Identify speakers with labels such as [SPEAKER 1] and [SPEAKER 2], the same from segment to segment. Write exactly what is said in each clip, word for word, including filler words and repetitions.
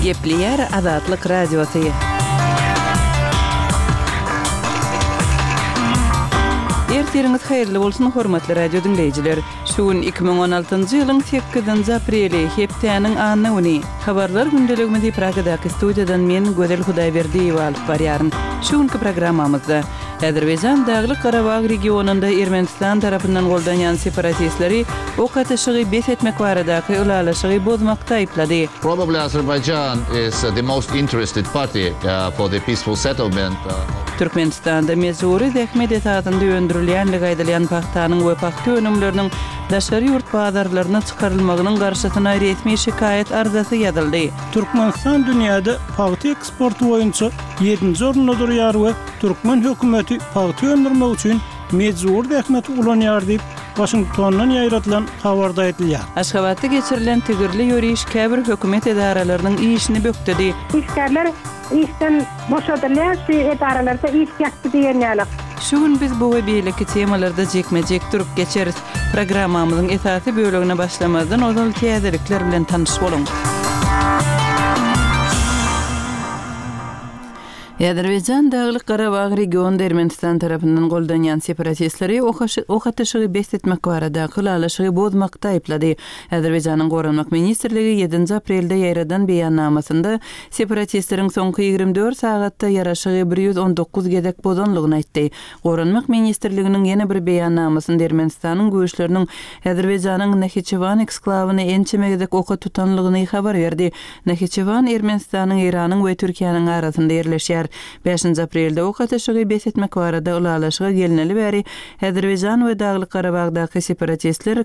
[SPEAKER 1] Gepleýär Azatlyk Radiosy. Ertiriňiz haýyrly bolsun, hormatly radio diňleýjiler. Şu gün iki müň on altynjy ýylyň sekizinji apreli, hepdäniň anna güni. Habarlar gündeligimizi Pragadaky studiýadan men Gözel Hudaýberdiýewa alyp barýaryn. Şu günki programmamyzda Azerbaýjan Daglyk-Garabag regionynda Ermenistan tarapyndan goldanýan separatistleri ok atyşygy bes etmek baradaky ylalaşygy bozmakda aýyplady.
[SPEAKER 2] Probably Azerbaijan is the most interested party for the peaceful settlement.
[SPEAKER 1] Türkmenistanda mejbury zähmet esasynda öndürilýänligi aýdylýan pagtanyň we pagta önümleriniň daşary ýurt bazarlaryna çykarylmagynyň garşysyna resmi şikaýat arzasy ýazyldy.
[SPEAKER 3] Türkmenistan dünýäde pagta eksporty boýunça ýedinji orunda durýar we türkmen hökümeti pagta öndürmek üçin mejbury zähmeti ulanýar diýip, Waşingtondan ýaýradylan habarda aýdylýar.
[SPEAKER 1] Aşgabatda geçirilen tigirli ýöriş käbir hökümet edaralarynyň işini bökdedi.
[SPEAKER 4] Işgärler işden boşadylýar, şu edaralarda iş ýatdy diýen ýaly.
[SPEAKER 1] Şu gün biz bu we beýleki temalarda jikme-jik durup geçeris. Programmamyzyň esasy bölegine başlamazdan ozal täzelikler bilen tanyş boluň. Azerbaýjan Daglyk-Garabag regionynda Ermenistan tarapyndan goldanýan separatistleri ok atyşygy bes etmek baradaky ylalaşygy bozmakda aýyplady. Azerbaýjanyň Goranmak ministrligi ýedinji aprelde ýaýradan beýannamasynda separatistleriň soňky ýigrimi dört sagatda ýaraşygy bir ýüz on dokuz gezek bozanlygyny aýtdy. Goranmak ministrliginiň ýene bir beýannamasynda Ermenistanyň güýçleriniň Azerbaýjanyň Nahiçewan eksklawyny ençeme gezek oka tutanlygyny habar berdi. Nahiçewan Ermenistanyň, Eýranyň we Türkiýäniň arasynda ýerleşýär. Bäşinji aprelde ok atyşygy bes etmek barada ylalaşyga gelneli bäri Azerbaýjan we Daglyk-Garabagdaky separatistler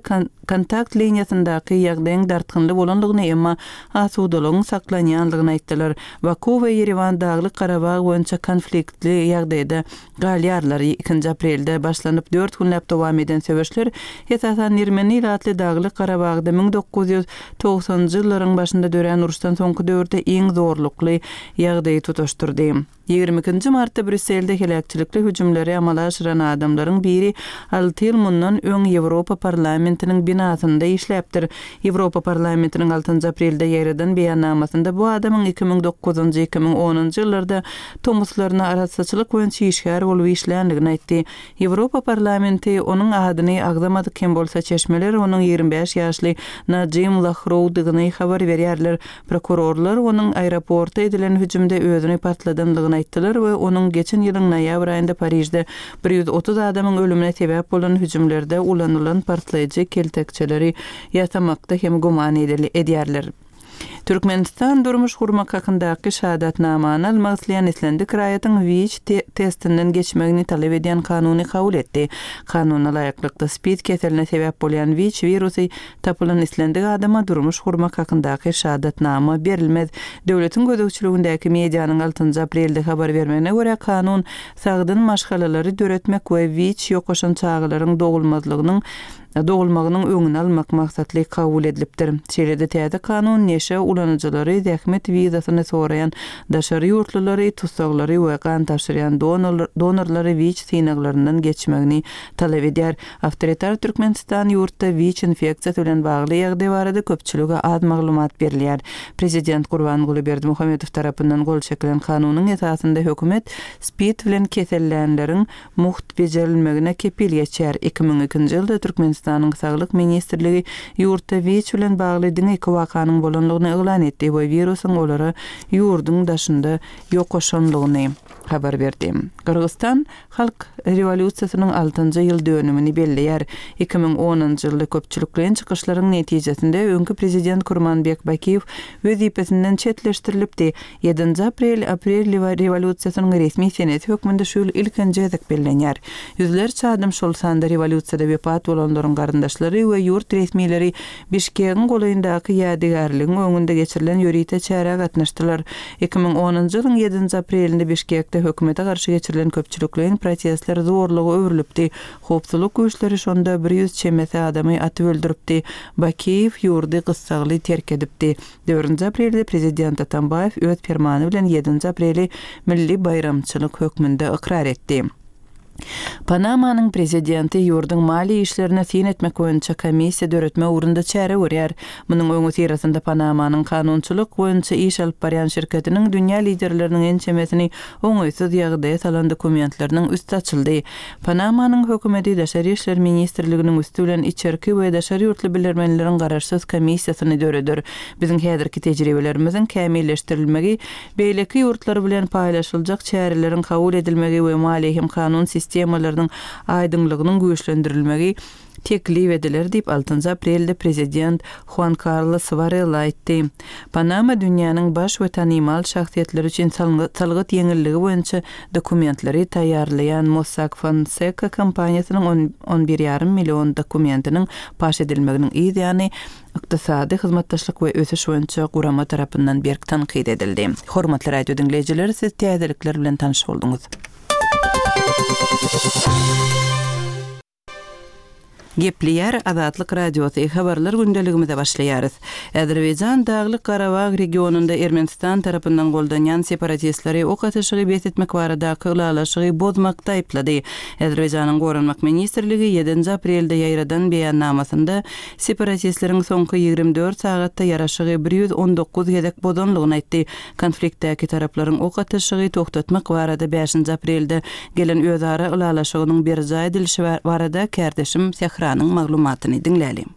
[SPEAKER 1] kontakt liniýasyndaky ýagdaýyň dartgynly bolanlygyny, emma asudalygyň saklanýanlygyny aýtdylar. Baku we Ýerewan Daglyk-Garabag boýunça konfliktli ýagdaýda galýarlar. Ikinji aprelde başlanyp dört günläp dowam eden söweşler esasan Ermeni ilatly Daglyk-Garabagda müň dokuz ýüz togsanjy ýyllaryň başynda dörän uruşdan soňky döwürde iň zorlukly ýagdaýy tutaşdyrdy. Ýigrimi ikinji martda Brýusselde heläkçilikli hüjümleri amala aşyran adamlaryň biri alty ýyl mundan öň Ýewropa parlamentiniň binasynda işläpdir. Ýewropa parlamentiniň altynjy aprelde ýaýradan beýannamasynda bu adamyň iki müň dokuzynjy, iki müň onunjy ýyllarda tomuslaryna arassaçylyk boýunça işgär bolup işländigini aýtdy. Ýewropa parlamenti onuň adyny agzamadyk hem bolsa çeşmeler onuň ýigrimi bäş ýaşly Najim Lahrowdygyny habar berýärler. Prokurorlar onuň aeroporta edilen hüjümde özüni partladanlygyny aýtdylar we onuň geçen ýylyň noýabr aýynda Parižde bir ýüz otuz adamyň ölümine sebäp bolan hüjümlerde ulanylan partlaýjy keltekçeleri ýasamakda hem güman edýärler. Türkmenistan durmuş gurmak hakyndaky şahadatnamany almak isleýän islendik raýatyň WIÇ testinden geçmegini talap edýän kanuny kabul etdi. Kanuna laýyklykda SPID keseline sebäp bolýan WIÇ wirusy tapylan islendik adama durmuş gurmak hakyndaky şahadatnama berilmez. Döwletiň gözegçiligindäki medianyň altynjy aprelde habar bermegine görä kanun sagdyn maşgalalary döretmek we WIÇ ýokaşan çagalaryň dogulmazlygynyň dogulmagynyň öňüni almak maksatly kabul edilipdir. Şeýle-de täze kanun neşe ulanyjylary, zähmet wizasyny soraýan daşary ýurtlulary, tutsaglary we gan tabşyrýan donorlary WIÇ synaglaryndan geçmegini talap edýär. Awtoritar Türkmenistan ýurtda WIÇ infeksiýasy bilen bagly ýagdaý barada köpçülige az maglumat berilýär. Prezident Gurbanguly Berdimuhamedow tarapyndan gol çekilen kanunyň esasynda hökümet SPID bilen kesellänleriň muht bejerilmegine kepil geçýär. Iki müň ikinji ýylda Türkmenistanyň Saglyk ministrligi ýurtda WIÇ bilen bagly diňe iki wakanyň bolanlygyny yglan etdi we wirusyň olara ýurduň daşynda ýokaşanlygyny habar berdi. Gyrgyzstan Halk rewolýusiýasynyň altynjy ýyl dönümini belleýär. Iki müň onunjy ýylda köpçülikleýin çykyşlaryň netijesinde öňki prezident Kurmanbek Bakiýew wezipesinden çetleşdirilipdi. Ýedinji aprel aprel rewolýusiýasynyň resmi senesi hökmünde şu ýyl ilkinji gezek bellenýär. Ýüzlerçe adam şol sanda rewolýusiýada wepat bolanlaryň garyndaşlary we ýurt resmileri Bişkegiň golaýyndaky ýadygärligiň öňünde geçirilen ýörite çärä gatnaşdylar. Iki müň onunjy ýylyň ýedinji aprelinde Bişkekde hökümete garşy geçirilen köpçülikleýin protestler zorluga öwrülipdi. Howpsuzlyk güýçleri şonda bir ýüz çemesi adamy atyp öldüripdi. Bakiýew ýurdy gyssagly terk edipdi. Dördünji aprelde prezident Atambaýew öz permany bilen ýedinji apreli milli baýramçylyk hökmünde ykrar etdi. Panamanyň prezidenti ýurduň maliýe işlerine syn etmek boýunça komissiýa döretmek ugrunda çäre görýär. Munuň öňüsyrasynda Panamanyň kanunçylyk boýunça iş alyp barýan şirketiniň dünýä liderleriniň ençemesini oňaýsyz ýagdaýa salan dokumentleriniň üsti açyldy. Panamanyň hökümeti Daşary işler ministrliginiň üsti bilen içerki we daşary ýurtly bilermenleriň garaşsyz komissiýasyny döreder. Biziň häzirki tejribelerimiziň kämilleşdirilmegi, beýleki ýurtlar bilen paýlaşyljak çäreleriň kabul edilmegi we maliýe hem kanun sistemalarynyň aýdyňlygynyň güýçlendirilmegi teklip ediler diýip altynjy aprelde prezident Huan Karlos Warela aýtdy. Panama dünýäniň baş we tanymal şahsyýetleri üçin salgyt ýeňilligi boýunça dokumentleri taýýarlaýan Mossack Fonseca kompaniýasynyň on bir ýarym million dokumentiniň paş edilmeginiň yz ýany Ykdysady hyzmatdaşlyk we ösüş boýunça gurama tarapyndan berk tankyt edildi. Hormatly radio diňleýjiler, siz täzelikler bilen tanyş bolduňyz. Gepleýär Azatlyk Radiosy, habarlar gündeligimize başlaýarys. Azerbaýjan Daglyk Garabag regionynda Ermenistan tarapyndan goldanýan separatistleri ok atyşygy bes etmek baradaky ylalaşygy bozmakda aýyplady. Azerbaýjanyň Goranmak ministrligi ýedinji aprelde ýaýradan beýannamasynda separatistleriň soňky ýigrimi dört sagatda ýaraşygy bir ýüz on dokuz gezek bozanlygyny aýtdy. Konfliktdäki taraplaryň ok atyşygy togtatmak barada bäşinji aprelde gelen özara ylalaşygynyň berjaý edilişi barada kärdeşim Sähranyň maglumatyny diňlälim.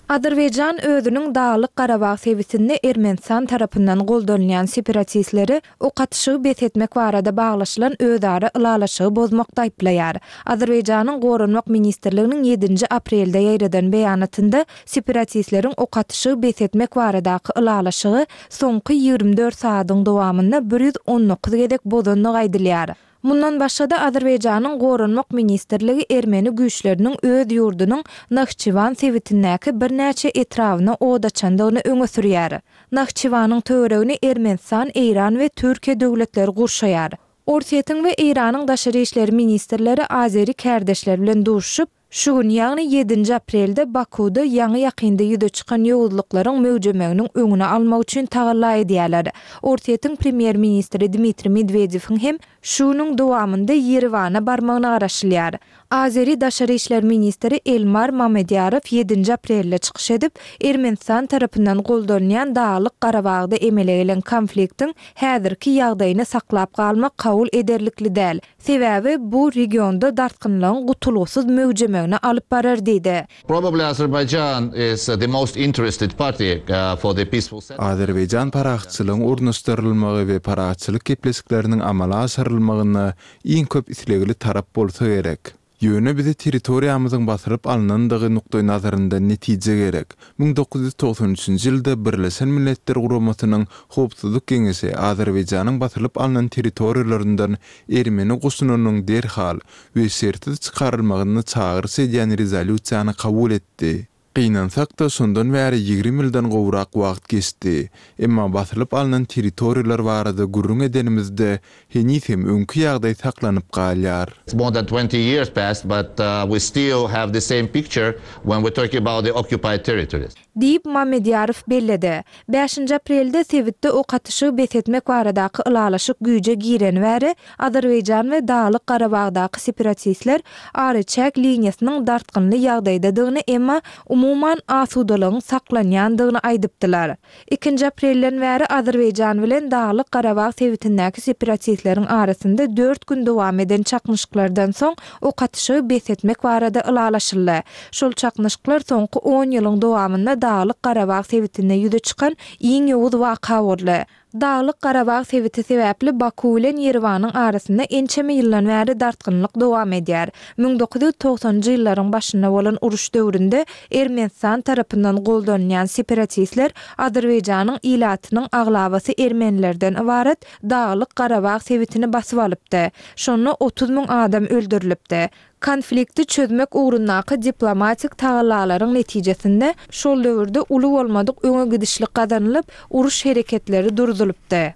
[SPEAKER 5] Azerbaýjan özüniň Daglyk Garabag sebitinde Ermenistan tarapyndan goldanylýan separatistleri ok atyşygy bes etmek barada baglaşylan özara ylalaşygy bozmakda aýyplaýar. Azerbaýjanyň Goranmak ministrliginiň ýedinji aprelde ýaýradan beýanatynda separatistleriň ok atyşygy bes etmek baradaky ylalaşygy soňky ýigrimi dört sagadyň dowamynda bir ýüz on dokuz gezek bozandygy aýdylýar. Mundan başga-da Azerbaýjanyň Goranmak ministrligi ermeni güýçleriniň öz ýurdunyň Nahçywan sebitindäki birnäçe etrabyna od açandygyny öňe sürýär. Nahçywanyň töweregini Ermenistan, Eýran we Türkiýe döwletleri gurşaýar. Orsýetiň we Eýranyň daşary işler ministrleri azeri kärdeşler bilen duşuşyp, şu gün, ýagny ýedinji aprelde Bakuda ýaňy ýakynda ýüze çykan ýowuzlyklaryň möwjemeginiň öňüni almak üçin tagalla edýärler. Orsýetiň premýer-ministri Dmitriý Medwedewiň hem şu günüň dowamynda Ýerewana barmagyna garaşylýar. Azeri daşary işler ministri Elmar Mamedýarow ýedinji aprelde çykyş edip, Ermenistan tarapyndan goldanylýan Daglyk Garabagda emele gelen konfliktiň häzirki ýagdaýyny saklap galmak kabul ederlikli däl. Sebäbi bu regionda dartgynlygyň gutulgysyz möwjemegine alyp barar diýdi.
[SPEAKER 2] Probably Azerbaijan is the most interested party, uh, for the peaceful settlement.
[SPEAKER 6] Azerbaýjan parahatçylygyň ornaşdyrylmagy we parahatçylyk gepleşikleriniň amala aşyrylmagyna iň köp islegli tarap bolsa gerek. Ýöne bize territoriýamyzyň basyryp alnandygy nukdaý nazaryndan netije gerek. Müň dokuz ýüz togsan üçünji ýylda Birleşen Milletler Guramasynyň Howpsuzlyk Geňeşi Azerbaýjanyň basyryp alnan territoriýalaryndan ermeni goşunynyň derhal we şertsiz çykarylmagyny çagyryş edýän rezolýusiýany kabul etdi. Gynansak-da şondan bäri ýigrimi ýyldan gowrak wagt geçdi. Emma basylyp alnan territoriýalar barada gürrüň edenimizde heniz hem öňki ýagdaý saklanyp galýar.
[SPEAKER 2] It's more than twenty years passed, but, uh, we still have the same picture when we're talking about the occupied territories.
[SPEAKER 5] Diýip Mamedýarow belledi. Bäşinji aprelde sebitde ok atyşygy bes etmek baradaky ylalaşyk güýje gireni bäri Azerbaýjan we Daglyk Garabagdaky separatistler araçäk liniýasynyň dartgynly ýagdaýdadygyny, emma umuman asudalygyň saklanýandygyny aýdypdylar. Ikinji aprelden bäri Azerbaýjan bilen Daglyk Garabag sebitindäki separatistleriň arasynda dört gün dowam eden çaknyşyklardan soň ok atyşygy bes etmek barada ylalaşyldy. Şol çaknyşyklar soňky on ýylyň dowamynda Daglyk Garabag sebitinde ýüze çykan iň ýowuz waka boldy. Daglyk Garabag sebiti sebäpli Baku bilen Ýerewanyň arasynda ençeme ýyldan bäri dartgynlyk dowam edýär. Müň dokuz ýüz togsanjy ýyllaryň başynda bolan uruş döwründe Ermenistan tarapyndan goldanylýan separatistler Azerbaýjanyň ilatynyň aglabasy ermenilerden ybarat Daglyk Garabag sebitini basyp alypdy. Şonda otuz müň adam öldürilipdi. Konflikti çözmek ugrundaky diplomatik tagallalaryň netijesinde şol döwürde uly bolmadyk öňe gidişlik gazanylyp, uruş hereketleri durdulypdy.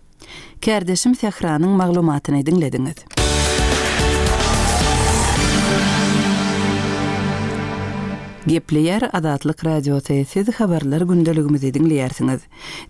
[SPEAKER 1] Kärdeşim Sähranyň maglumatyny diňlediňiz. Gepleýär Azatlyk Radiosy, siz habarlar gündeligimizi diňleýärsiňiz.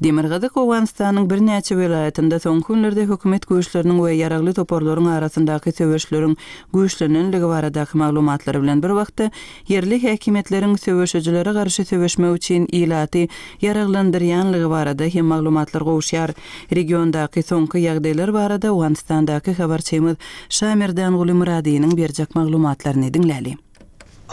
[SPEAKER 1] Demirgazyk Owganystanyň birnäçe welaýatynda soňky günlerde hökümet güýçleriniň we ýaragly toparlaryň arasyndaky söweşleriň güýçlenenligi baradaky maglumatlar bilen bir wagtda ýerli häkimiýetleriň söweşijilere garşy söweşmek üçin ilaty ýaraglandyrýanlygy barada hem maglumatlar gowuşýar. Regiondaky soňky ýagdaýlar barada Owganystandaky habarçymyz Şamerdanguly Myradynyň berjek maglumatlaryny diňläli.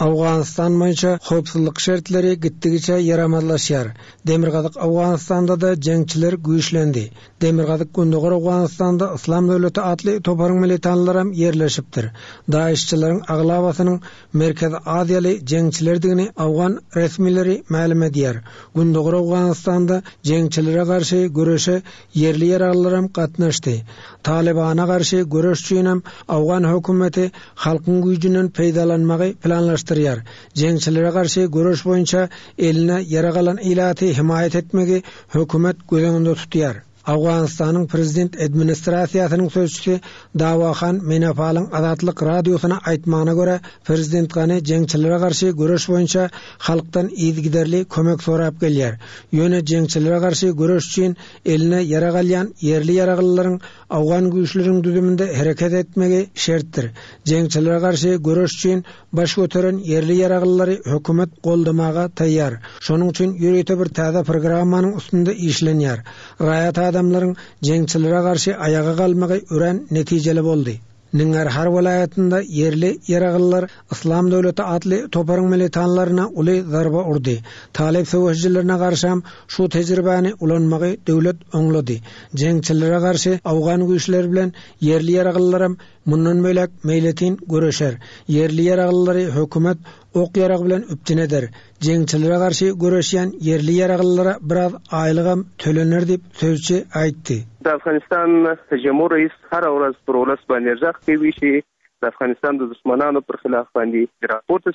[SPEAKER 7] Owganystan boýunça howpsuzlyk şertleri gitdigiçe ýaramazlaşýar. Demirgazyk Owganystanda da jeňçiler güýçlendi. Demirgazyk Gündogar Owganystanda Yslam döwleti atly toparyň militanlaram ýerleşipdir. Daişçileriň aglabasynyň Merkezi Aziýaly jeňçilerdigini Owgan resmileri mälim edýär. Gündogar Owganystanda jeňçilere garşy göreşe ýerli ýaraglylaram gatnaşdy. Talibana garşy göreş üçinem Owgan hökümeti halkyň güýjünden peýdalanmagy planlaşdyrýar. Jeňçilere garşy göreş boýunça eline ýarag alan ilaty himaýat etmegi hökümet göz öňünde tutýar. Owganystanyň prezident administrasiýasynyň sözçüsi Dawahan Menapalyň Azatlyk radiosyna aýtmagyna görä, prezident Gani jeňçilere garşy göreş boýunça halkdan yzygiderli kömek sorap gelýär. Ýöne jeňçilere garşy göreş üçin eline ýarag alýan ýerli ýaraglylaryň Owgan güýçleriniň düzüminde hereket etmegi şertdir. Jeňçilere garşy göreş üçin baş göteren ýerli ýaraglylary hökümet goldamaga taýýar. Şonuň üçin ýörite bir täze programmanyň üstünde işlenýär. Raýat adamlaryň jeňçilere garşy aýaga galmagy örän netijeli boldy. Nangarhar welaýatynda ýerli ýaraglylar Yslam döwleti atly toparyň militanlaryna uly zarba urdy. Talip söweşijilerine garşam şu tejribäni ulanmagy döwlet oňlady. Jeňçilere garşy Owgan güýçleri bilen ýerli ýaraglylaram mundan bölek meýletin göreşer. Ýerli ýaraglylary hökümet ok ýarag bilen üpjün eder. Jeňçilere garşy göreşýän ýerli ýaraglylara biraz aýlygam tölener diýip sözçi aýtdy.
[SPEAKER 8] د افغانستان جمهور رئیس هره ورځ پر ولس باندې غږ کوي چې د افغانستان د دښمنانو پر خلاف باندې راپورته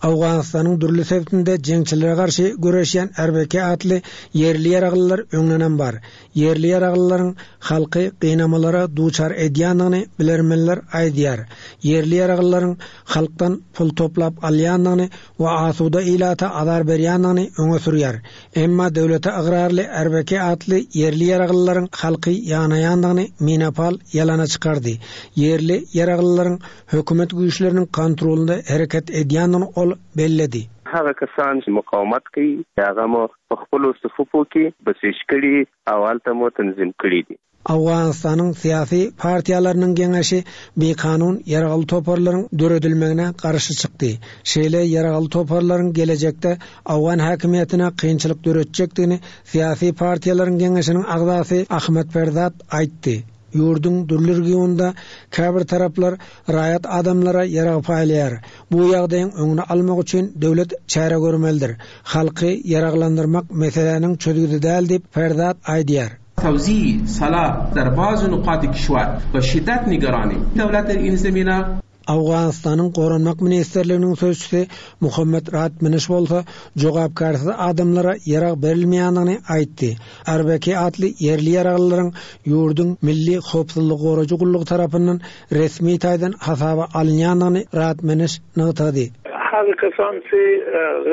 [SPEAKER 7] Owganystanyň dürli sebitinde jeňçilere garşy göreşýän R B K atly ýerli ýaraglylar öňlenen bar. Ýerli ýaraglylaryň halky gynamalara duçar edýändigini bilermenler aýdýar. Ýerli ýaraglylaryň halkdan pul toplap alýandygyny we asuda ilata azar berýändigini öňe sürýär. Emma döwlete ygrarly R B K atly ýerli ýaraglylaryň halky ýanaýandygyny Minapal ýalana çykardy. Ýerli ýaraglylaryň hökümet güýçleriniň kontrolunda hereket edýändigini ol belledi.
[SPEAKER 8] هغه کسان چې مقاومت کوي هغه مو په خپلو صفوفو کې بسیج کړي او هلته مو تنظیم کړي دي.
[SPEAKER 7] Owganystanyň syýasy partiýalarynyň geňeşi bikanun ýaragly toparlaryň döredilmegine garşy çykdy. Şeýle ýaragly toparlaryň gelejekde Owgan häkimiýetine kynçylyk döretjekdigini syýasy partiýalaryň geňeşiniň agzasy Ahmet Ferzat aýtdy. Ýurduň dürli regionda käbir taraplar raýat adamlara ýarag paýlaýar. Bu ýagdaýyň öňüni almak üçin döwlet çäre görmelidir. Halky ýaraglandyrmak meseläniň çözgüdi däl diýip Ferzat aýdýar.
[SPEAKER 9] توزیع سلاح در بعض نقاط کشور با شدت نگرانیم. دولت در این زمینه
[SPEAKER 7] Owganystanyň Goranmak Ministerliginiň sözçüsi Muhammed Ratminiş bolsa jogapkarsyz adamlara ýarag berilmeýändigini aýtdy. R B K atly ýerli ýaraglylaryň ýurduň milli howpsuzlyk goraýjy gullugy tarapyndan resmi taýdan hasaba alynýandygyny Ratminiş nygtady.
[SPEAKER 10] هغه کسان چې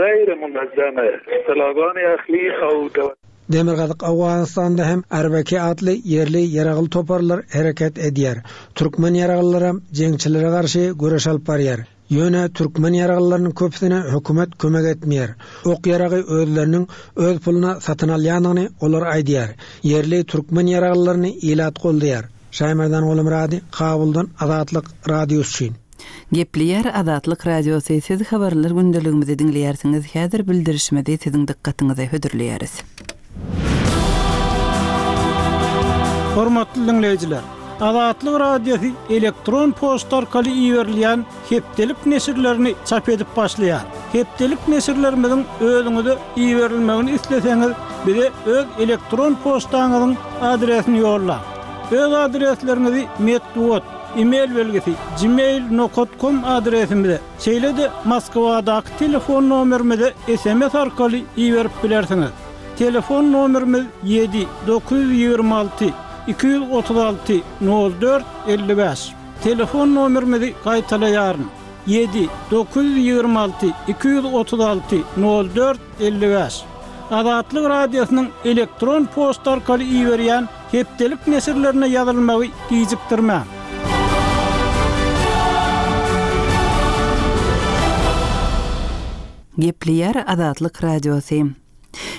[SPEAKER 10] غیر منظمه اصطلاحګانې اخلي او
[SPEAKER 7] Demirgazyk Owganystanda hem R B K atly ýerli ýaragly toparlar hereket edýär. Türkmen ýaraglylaram jeňçilere garşy göreş alyp barýar. Ýöne türkmen ýaraglylarynyň köpüsine hökümet kömek etmeýär. Ok ýaragy özleriniň öz puluna satyn alýandygyny olar aýdýar. Ýerli türkmen ýaraglylaryny ilat goldaýar. Şaýmerdan Golumrady, Kabuldan Azatlyk Radiosy üçin.
[SPEAKER 1] Gepleýär Azatlyk Radiosy, siz habarlar gündeligimizi diňleýärsiňiz. Häzir bildirişmedi siziň dykgatyňyza hödürleýäris.
[SPEAKER 3] Hormatly dinleýjiler, Azatlyk Radiosy elektron poçta arkaly iberilýän hepdelik neşirlerini çap edip başlaýar. Hepdelik neşirlerimiziň özüňize iberilmegini isleseňiz, bize öz elektron poçtaňyzyň adresini ýollaň. Öz adresleriňizi metbugat, e-mail belgisi gmail nokta com adresimize, şeýle-de Moskwadaky telefon nomerimize S M S arkaly iberip bilersiňiz. Telefon nomerimiz ýedi dokuz ýüz ýigrimi alty iki ýüz otuz alty nol dört elli bäş. Telefon nomerimizi gaýtalaýaryn. Ýedi, dokuz ýüz ýigrimi alty, iki ýüz otuz alty, nol dört, elli bäş. Azatlyk Radiosynyň elektron poçta arkaly iberýän hepdelik neşirlerine ýazylmagy gijikdirmäň.
[SPEAKER 1] Gepleýär Azatlyk Radiosy.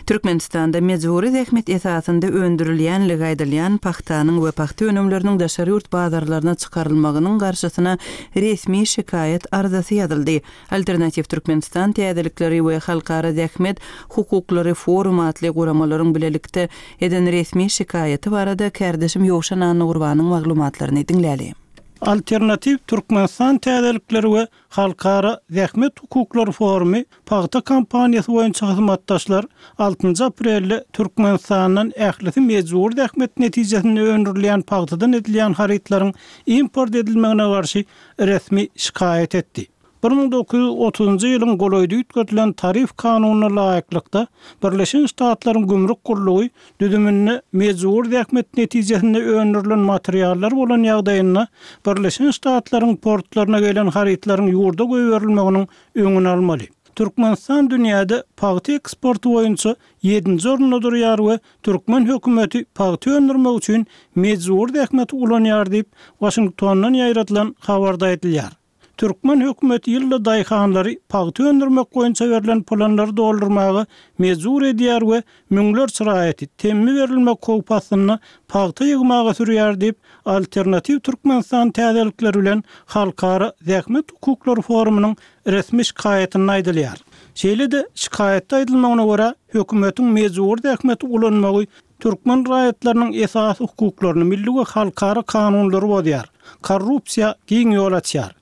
[SPEAKER 1] Türkmenistanda mejbury zähmet esasynda öndürilýänligi aýdylýan pagtanyň we pagta önümleriniň daşary ýurt bazarlaryna çykarylmagynyň garşysyna resmi şikaýat arzasy ýazyldy. Alternatiw Türkmenistan täzelikleri we Halkara zähmet hukuklary forumy atly guramalaryň bilelikde eden resmi şikaýaty barada kärdeşim Ýowşan Annagurbanyň maglumatlaryny diňläli.
[SPEAKER 3] Alternatiw Türkmenistan täzelikleri we Halkara zähmet hukuklary forumy pagta kampaniýasy boýunça hyzmatdaşlar altynjy aprelde Türkmenistandan ählisi mejbury zähmet netijesinde öndürilýän pagtadan edilýän harytlaryň import edilmegine garşy resmi şikaýat etdi. Bir müň dokuz ýüz otuzynjy ýylyň golaýda üýtgedilen tarif kanunyna laýyklykda, Birleşen Ştatlaryň gümrük gullugy düzüminde mejbury zähmet netijesinde öndürilen materiallar bolan ýagdaýynda Birleşen Ştatlaryň portlaryna gelen harytlaryň ýurda goýberilmeginiň öňüni almaly. Türkmenistan dünýäde pagta eksporty boýunça ýedinji orunda durýar we türkmen hökümeti pagta öndürmek üçin mejbury zähmeti ulanýar diýip, Waşingtondan ýaýradylan habarda aýdylýar. Türkmen hökümeti ýylda daýhanlary pagta öndürmek boýunça berlen planlary doldurmaga mejbur edýär we müňlerçe raýaty temmi berilmek howpy astynda pagta ýygmaga sürýär diýip, Alternatiw Türkmenistan täzelikleri bilen Halkara zähmet hukuklary forumynyň resmi şikaýatynda aýdylýar. Şeýle-de, şikaýatda aýdylmagyna görä, hökümetiň mejbury zähmeti ulanmagy türkmen raýatlarynyň esasy hukuklaryny, milli we halkara kanunlary bozýar, korrupsiýa giň ýol açýar.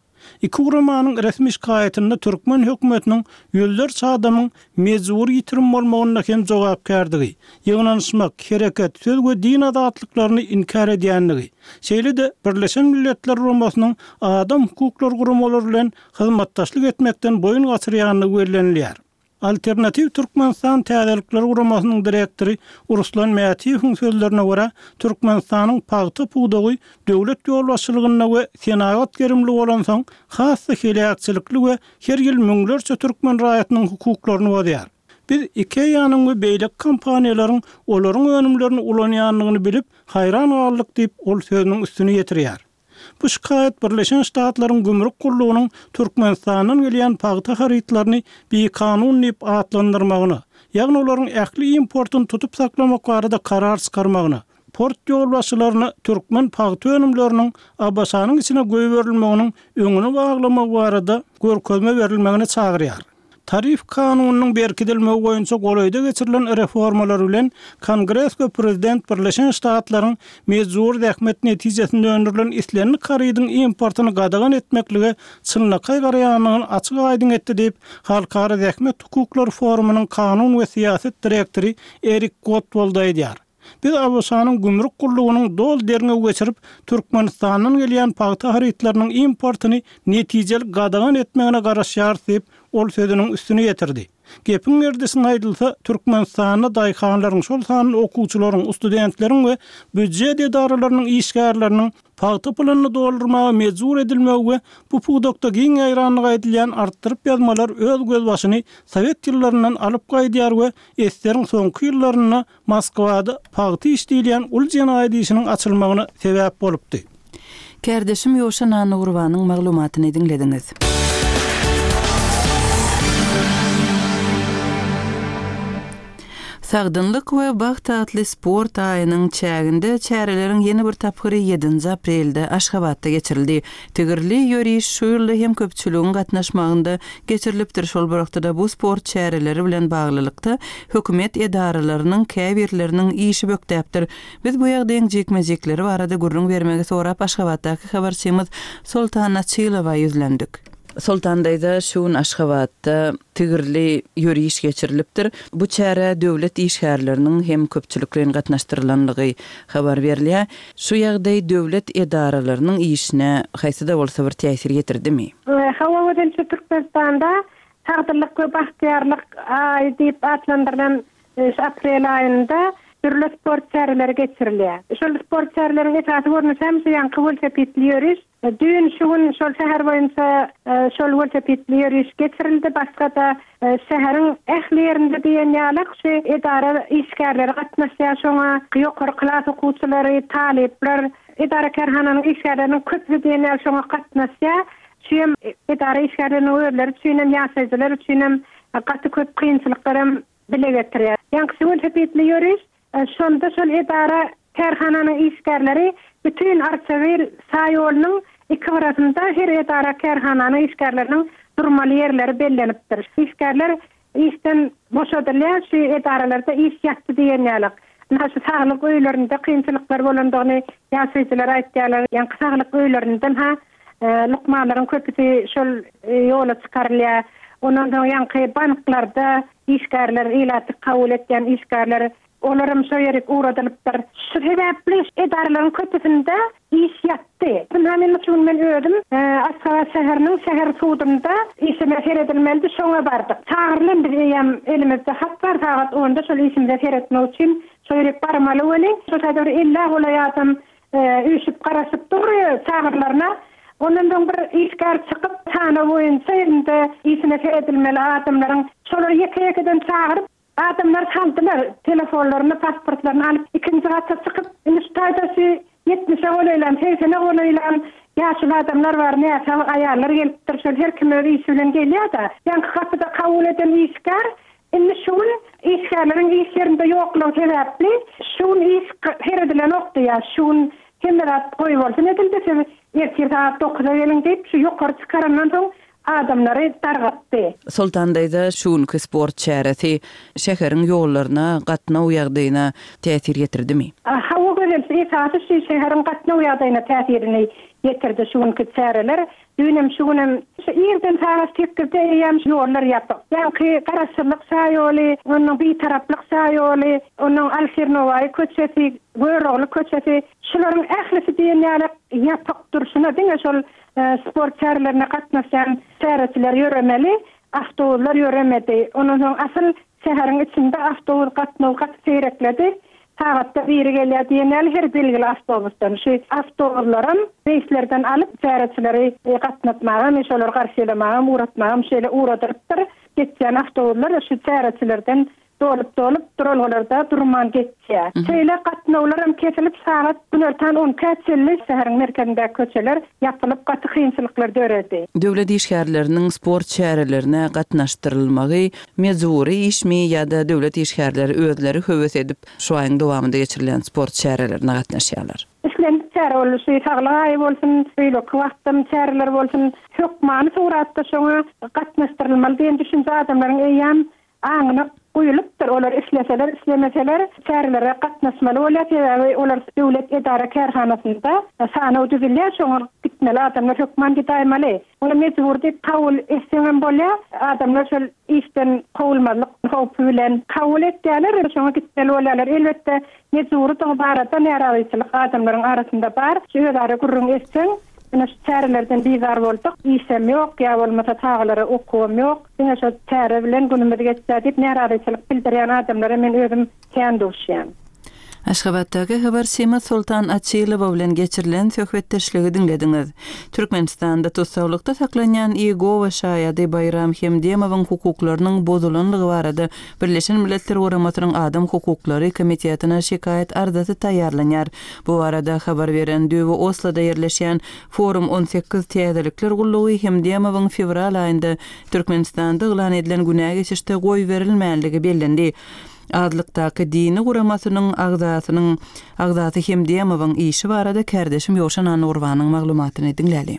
[SPEAKER 3] Iki guramanyň resmi şikaýatynda türkmen hökümetiniň ýüzlerçe adamyň mejbury ýitirim bolmagynda hem jogapkärdigi, ýygnanyşmak, hereket, söz we din azatlyklaryny inkär edýändigi, şeýle-de Birleşen Milletler Guramasynyň adam hukuklary guramalary bilen hyzmatdaşlyk etmekden boýun gaçyrýandygy bellenilýär. Alternatiw Türkmenistan täzelikler guramasynyň direktory Ruslan Mätiýewiň sözlerine görä, Türkmenistanyň pagta pudagy döwlet ýolbaşçylygynda we senagat gerimli bolansoň, has-da heläkçilikli we her ýyl müňlerçe türkmen raýatynyň hukuklaryny bozýar. Biz IKEA-nyň we beýleki kompaniýalaryň olaryň önümlerini ulanýandygyny bilip, haýran galdyk diýip, ol sözüniň üstüni ýetirýär. Bu şikaýat Birleşen Ştatlaryň Gümrük gullugynyň Türkmenistandan gelýän pagta harytlaryny bikanun diýip atlandyrmagyna, ýagny olaryň ähli importyny tutup saklamak barada karar çykarmagyna, port ýolbaşçylaryna türkmen pagta önümleriniň ABŞ-nyň içine goýberilmeginiň öňüni baglamagy barada görkezme berilmegine çagyrýar. Tarif kanunynyň berkidilmegi boýunça golaýda geçirilen reformalar bilen Kongres we prezident Birleşen Ştatlaryň mejbury zähmet netijesinde öndürilen islendik harydyň importyny gadagan etmeklige çynlakaý garaýandygyny açyk-aýdyň etdi diýip, Halkara zähmet hukuklary forumynyň kanun we syýasat direktory Erik Gottwald aýdýar. Biz ABŞ-nyň gümrük gullugynyň doly derňew geçirip, Türkmenistandan gelýän pagta harytlarynyň importyny netijeli gadagan etmegine garaşýarys diýip, ol sözüniň üstüni ýetirdi. Gepiň gerdişine aýdylsa, Türkmenistanda daýhanlaryň, şol sanda okuwçylaryň, studentleriň we býujet edaralarynyň işgärleriniň pagta puluny doldurmaga mejbur edilmegi we bu pudakda giň ýaýrandygy aýdylýan artdyryp ýazmalar öz gözbaşyny sowet ýyllaryndan alyp gaýdýar we eseriň soňky ýyllarynda Moskwada pagta iş diýilýän uly jenaýat işiniň açylmagyna sebäp bolupdy.
[SPEAKER 1] Kärdeşim Ýowşan Annagurbanyň maglumatyny diňlediňiz. Sagdynlyk we bagt atly sport aýynyň çäginde çäreleriň ýene bir tapgyry ýedinji aprelde Aşgabatda geçirildi. Tigirli ýöriş şu ýylda hem köpçüligiň gatnaşmagynda geçirilipdir. Şol bir wagtda-da bu sport çäreleri bilen baglylykda hökümet edaralarynyň käbirleriniň işi bökdäpdir. Biz bu ýagdaýyň jikme-jikleri barada gürrüň bermegi sorap Aşgabatdaky habarçymyz Soltan Açylowa ýüzlendik. Soltan daýza, şu gün Aşgabatda tigirli ýöriş geçirilipdir. Bu çärä döwlet işgärleriniň hem köpçülikleýin gatnaşdyrylanlygy habar berilýär. Şu ýagdaý döwlet edaralarynyň işine haýsy-da bolsa bir täsir ýetirdimi?
[SPEAKER 4] Hawa, özençe Türkmenistanda Sagdynlyk we bagtyýarlyk aýy diýip atlandyrylan şu aprel aýynda Dürli sport çäreleri geçirilýär. Şol sport çäreleriniň esasy görnüşi hem şu ýaňky welosipedli ýöriş. Düýn şu gün şol şäher boýunça şol welosipedli ýöriş geçirildi. Başga-da şäheriň ähli ýerinde diýen ýaly şu edara işgärleri gatnaşýar. Şoňa ýokary klas okuwçylary, talyplar, edara kärhananyň işgärleriniň köpüsi diýen ýaly şoňa gatnaşýar. Şu hem edara işgärleriniň özleri üçin hem, ýaşaýjylar üçin hem gaty köp kynçylyklar hem bile getirýär. Ýaňky welosipedli ýöriş şonda şol edara kärhananyň işgärleri bütün Arçabil şaýolunyň iki gyrasynda her edara kärhananyň işgärleriniň durmaly ýerleri bellenipdir. Işgärler işden boşadylýar, şu edaralarda iş ýatdy diýen ýaly. Ynha şu saglyk öýlerinde kynçylyklar bolandygyny ýaşaýjylar aýtýarlar. Ýaňky saglyk öýlerinden ha lukmanlaryň köpüsi şol ýola çykarylýar. Ondan soň ýaňky banklarda işgärler, ilaty kabul etýän işgärler olaram şo ýere ugradylypdyr. Şu sebäpli edaralaryň köpüsinde iş ýatdy. Ynha men şu gün men özüm Aşgabat şäheriniň şäher sudunda işime seredilmelidi, şoňa bardyk. Çagyrylan biz eýýäm elimizde hat bar, sagat onda şol işimize seretmek üçin şo ýere barmaly weli. Şo taýda bir elli golaý adam üýşüp garaşyp dur çagyrlaryna. Ondan soň bir işgär çykyp sanaw boýunça elinde işine seredilmeli adamlaryň şolary ýeke-ýekeden çagyryp adamlar saldylar, telefonlaryny, pasportlaryny alyp ikinji gata çykyp, indi şu taýda şu ýetmişe golaýlan, segsene golaýlan ýaşuly adamlar bar, näsag aýallar gelipdir, şol her kim öz işi bilen gelýär-de. Ýaňky gapyda kabul eden işgär indi şu gün işgärleriň iş ýerinde ýoklugy sebäpli şu gün iş seredilenokdy ýa şu gün hemme zat goýbolsun edildi, siz ertir sagat dokuza geliň diýip, şu ýokary çykarandan soň adamlary dargatdy.
[SPEAKER 1] Soltan daýza şu günki sport çäresi şäheriň ýollaryna, gatnaw ýagdaýyna täsir ýetirdimi?
[SPEAKER 4] Hawa gözel, esasy şu şäheriň gatnaw ýagdaýyna täsirini ýetirdi şu günki çäreler. Düýnem şu günem şu irden sagat sekizde eýýäm ýollar ýapyk. Ýaňky Garaşsyzlyk şaýoly, onuň Bitaraplyk şaýoly, onuň Alşir Nowaýy köçesi, Görogly köçesi, şularyň ählisi diýen ýaly ýapyk durşuna diňe şol sport çärelerine gatnaşýan çäreçiler ýöremeli, awtobuslar ýöremedi. Ondan soň asyl şäheriň içinde awtobus gatnaw gaty seýrekledi. Sagatda biri gelýär diýen ýaly her belgili awtobusdan. Şu awtobuslaram reýslerden alyp çäreçileri gatnatmaga, men şolary garşylamaga, ugratmaga şeýle ugradyrypdyr. Geçýän awtobuslar şu çäreçilerden dolup-dolup duralgalarda durman geçýär. Şeýle gatnawlaram kesilip sagat günortan on iki çenli şäheriň merkezindäki köçeler ýapylyp gaty kynçylyklar döredi.
[SPEAKER 1] Döwlet işgärleriniň sport çärelerine gatnaşdyrylmagy mejbury işmi ýa-da döwlet işgärleri özleri höwes edip şu aýyň dowamynda geçirilen sport çärelerine gatnaşýarlar?
[SPEAKER 4] Islendik çäre bolsun, şu saglyk aýy bolsun, beýleki wagtdan çäreler bolsun, hökmany suratda şoňa gatnaşdyrylmaly diýen düşünje adamlaryň eýýäm aňyna guýulypdyr. Olar isleseler, islemeseler çärelere gatnaşmaly bolýar. Sebäbi olar döwlet edara kärhanasynda sanaw düzülýär, şoňa gitmeli adamlar hökman gidäýmeli. Ony mejbur diýip kabul etseňem bolýar. Adamlar şol işden kowulmazlyk howpy bilen kabul etýärler, şoňa gitmeli bolýarlar. Elbetde mejburydygy barada närazyçylyk adamlaryň arasynda bar. Şu özara gürrüň etseň, ine şu çärelerden bizar bolduk, işem ýok, ýa bolmasa çagalara okuwam ýok. Diňe şo çäre bilen günümiz geçýär diýip närazyçylyk bildirýän adamlara men özüm kän duşýan.
[SPEAKER 1] Aşgabatdaky habarçymyz Soltan Açylowa bilen geçirilen söhbetdeşligi diňlediňiz. Türkmenistanda tussaglykda saklanýan Iýegowa şaýady Baýram Hemdemowyň hukuklarynyň bozulanlygy barada Birleşen Milletler Guramasynyň Adam Hukuklary Komitetine şikaýat arzasy taýýarlanýar. Bu barada habar beren Düwe Osloda ýerleşýän Forum on sekiz täzelikler gullugy Hemdemowyň fewral aýynda Türkmenistanda yglan edilen günä geçişde goýberilmänligi bellendi. Azlykdaky dini guramasynyň agzasynyň agzasy Hemdemowyň işi barada kärdeşim Ýowşan Annurbanyň maglumatyny diňläli.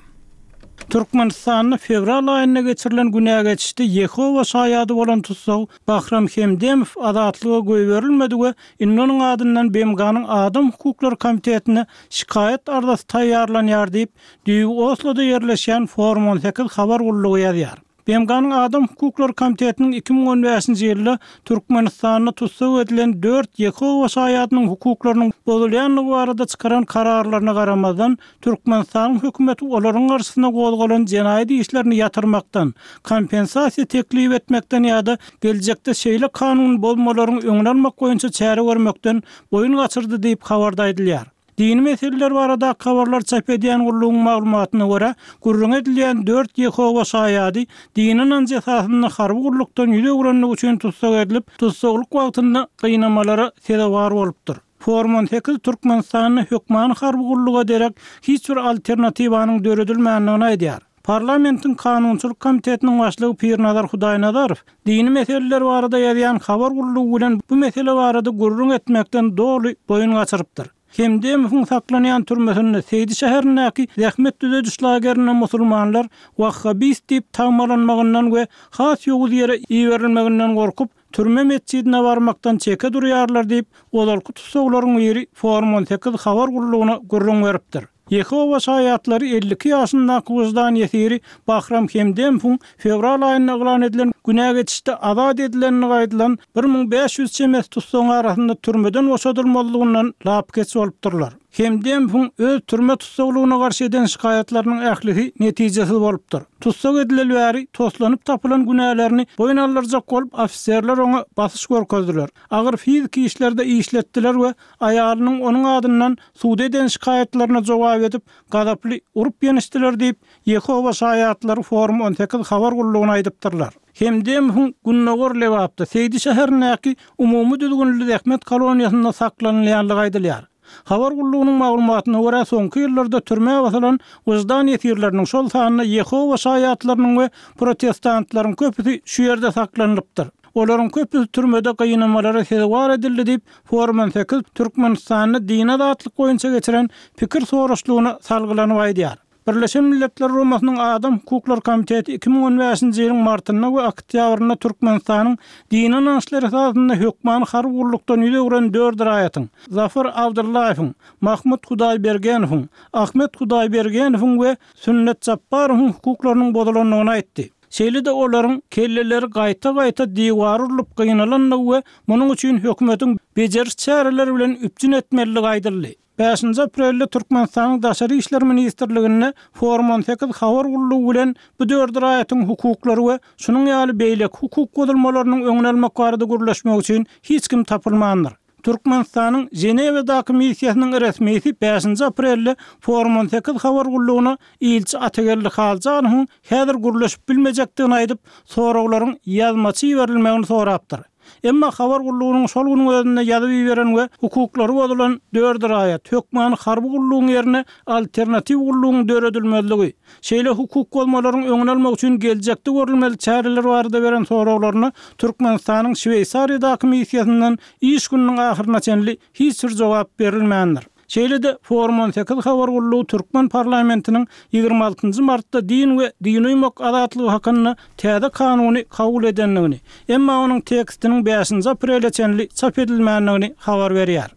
[SPEAKER 3] Türkmenistanda fewral aýynda geçirilen günä geçişde Ýehowa şaýady bolan tussag Bahram Hemdemow azatlyga goýberilmedi we indi onuň adyndan B M G-nyň Adam Hukuklary Komitetine şikaýat arzasy taýýarlanýar diýip, Düýbi Osloda ýerleşýän Forum on sekiz habar gullugy ýazýar. B M G-nyň Adam hukuklary komitetiniň iki müň on bäşinji ýylda Türkmenistanda tussag edilen dört Ýehowa şaýadynyň hukuklarynyň bozulýandygy barada çykaran kararlaryna garamazdan, Türkmenistanyň hökümeti olaryň garşysyna gozgalan jenaýat işlerini ýatyrmakdan, kompensasiýa teklip etmekden ýa-da geljekde şeýle kanun bozmalaryň öňüni almak boýunça çäre görmekden boýun gaçyrdy diýip habarda aýdylýar. Dini meseleler baradaky habarlar çap edýän gullugyň maglumatyna görä, gürrüňi edilýän dört Ýehowa şaýady dini ynanjy esasynda harby gullukdan ýüz öwrenligi üçin tussag edilip, tussaglyk wagtynda gynamalara sezewar bolupdyr. Forum on sekiz Türkmenistanda hökmany harby gulluga derek hiç bir alternatiwanyň döredilmändigini aýdýar. Parlamentiň kanunçylyk komitetiniň başlygy Pirnazar Hudaýnazarow dini meseleler barada ýazýan habar gullugy bilen bu mesele barada gürrüň etmekden doly boýun gaçyrypdyr. Hemdemowyň saklanýan türmesinde Seýdi şäherindäki zähmet düzediş lagerinde musulmanlar wahhabist diýip tagmalanmagyndan we has ýowuz ýere iberilmeginden gorkup, türme metjidine barmakdan çeke durýarlar diýip, ozalky tussaglaryň biri Forum on sekiz habar gullugyna gürrüň beripdir. Ýehowa şaýatlary elli iki ýaşyndaky wyždan ýesiri Bahram Hemdemowyň fewral aýynda yglan edilen günä geçişde azat edilenligi aýdylan bir müň bäş ýüz çemesi tussagyň arasynda türmeden boşadylmazlygyndan lapykeç bolupdyrlar. Hemdemowyň öz türme tussaglygyna garşy eden şikaýatlarynyň ählisi netijesiz bolupdyr. Tussag edileli bäri toslanyp tapylan günälerini boýun aldyrjak bolup ofiserler oňa basyş görkezdiler. Agyr fiziki işlerde işletdiler we aýalynyň onuň adyndan suda eden şikaýatlaryna jogap edip, gazaply urup ýenişdiler diýip, Ýehowa şaýatlary Forum on sekiz habar gullugyna aýdypdyrlar. Hemdemowyň Gündogar Lebapda Seýdi şäherindäki umumy düzgünli zähmet koloniýasynda saklanylýanlygy aýdylýar. Habar gullugynyň maglumatyna görä, soňky ýyllarda türmä basylan wyždan ýesirleriniň, şol sanda Ýehowa şaýatlarynyň we protestantlaryň köpüsi şu ýerde saklanylypdyr. Olaryň köpüsi türmede gynamalara sezewar edildi diýip, Forum on sekiz Türkmenistanda dini azatlyk boýunça geçiren pikir soraşlygyna salgylanyp aýdýar. Birleşen Milletler Guramasynyň Adam hukuklary komiteti iki müň on bäşinji ýylyň martynda we oktýabrynda Türkmenistanyň dini ynançlar esasynda hökmany harby gullukdan ýüz öwren dört raýatyň, Zafar Abdullaýewiň, Mahmut Hudaýbergenowyň, Ahmet Hudaýbergenowyň we Sünnet Japbarowyň hukuklarynyň bozulandygyny aýtdy. Şeýle-de olaryň kelleleri gaýta-gaýta diwar urlup gynalandygy we munuň üçin hökümetiň bejeriş çäreleri bilen üpjün etmelidigi aýdyldy. Bäşinji aprelde Türkmenistanyň Daşary işler ministrliginde Forum on sekiz habar gullugy bilen bu dört raýatyň hukuklary we şunuň ýaly beýleki hukuk bozulmalarynyň öňüni almak barada gürleşmek üçin hiç kim tapylmandyr. Türkmenistanyň Ženewadaky missiýasynyň resmisi bäşinji aprelde Forum on sekiz habar gullugyna ilçi Atageldi Haljanowyň häzir gürleşip bilmejekdigini aýdyp, soraglaryň ýazmaça iberilmegini sorapdyr. Emma habar gullugynyň şol günüň özünde ýazyp iberen we hukuklary bozulan dört raýat hökmany harby gullugyň ýerine alternatiw gullugyň döredilmezligi, şeýle hukuk bozmalaryň öňüni almak üçin geljekde görülmeli çäreler barada beren soraglaryna Türkmenistanyň Şweýsariýadaky missiýasyndan iş gününiň ahyryna çenli hiç bir jogap berilmändir. Şeýle-de Forum on sekiz habar gullugy Türkmen parlamentiniň ýigrimi altynjy martda din we dini uýmak azatlygy hakynda täze kanuny kabul edendigini, emma onuň tekstiniň bäşinji aprele çenli çap edilmändigini habar berýär.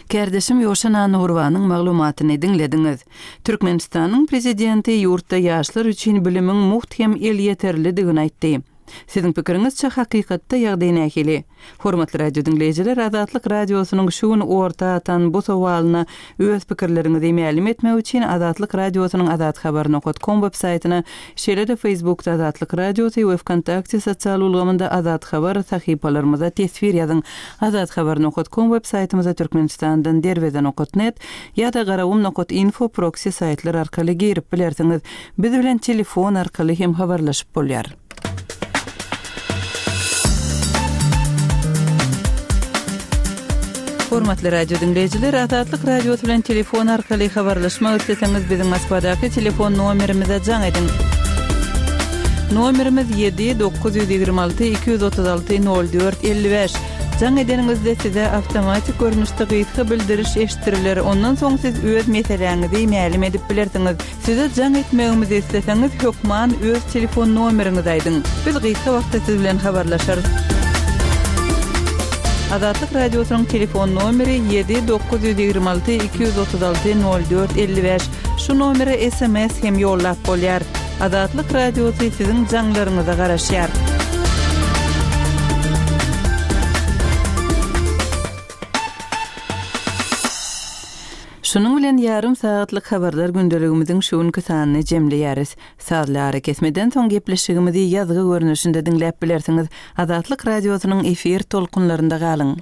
[SPEAKER 1] Kärdeşim Ýowşan Annagurbanyň maglumatyny diňlediňiz. Türkmenistanyň prezidenti ýurtda ýaşlar üçin bilimiň mugt hem elýeterlidigini aýtdy. Siziň pikiriňizçe hakykatda ýagdaý nähili? Hormatly radio diňleýjiler, Azatlyk radiosynyň şu gün orta atan bu sowalyna öz pikirleriňizi mälim etmek üçin Azatlyk radiosynyň azathabar nokta com web saýtyna, şeýle-de Facebookda Azatlyk radiosy we Vkontakte sosial ulgamynda Azat habar sahypalarymyza teswir ýazyň. Azathabar nokta com web saýtymyza Türkmenistandan derweze nokta net ýa-da garawum nokta info proxy saýtlar arkaly girip bilersiňiz. Biz bilen telefon arkaly hem habarlaşyp bolýar. Hormatly radio diňleýjiler, Azatlyk radiosy bilen telefon arkaly habarlaşmak isleseňiz biziň Moskwadaky telefon nomerimize jaň ediň. Nomerimiz ýedi dokuz ýüz ýigrimi alty iki ýüz otuz alty nol dört elli bäş. Jaň edeniňizde size awtomatik görnüşde gysga bildiriş eşitdiriler. Ondan soň siz öz meseläňizi mälim edip bilersiňiz. Size jaň etmegimizi isleseňiz hökman öz telefon nomeriňizi aýdyň. Biz gysga wagtda siz bilen habarlaşarys. Azatlyk radiosynyň telefon nomeri ýedi dokuz ýüz ýigrimi alty iki ýüz otuz alty nol dört elli bäş. Şu nomere S M S hem ýollap bolýar. Azatlyk Radiosy siziň jaňlaryňyza garaşýar. Şunuň bilen ýarym sagatlyk habarlar gündeligimiziň şu günki sanyny jemleýäris. Sazly arakesmeden soň gepleşigimizi ýazgy görnüşinde diňläp bilersiňiz. Azatlyk Radiosynyň efir tolkunlarynda galyň.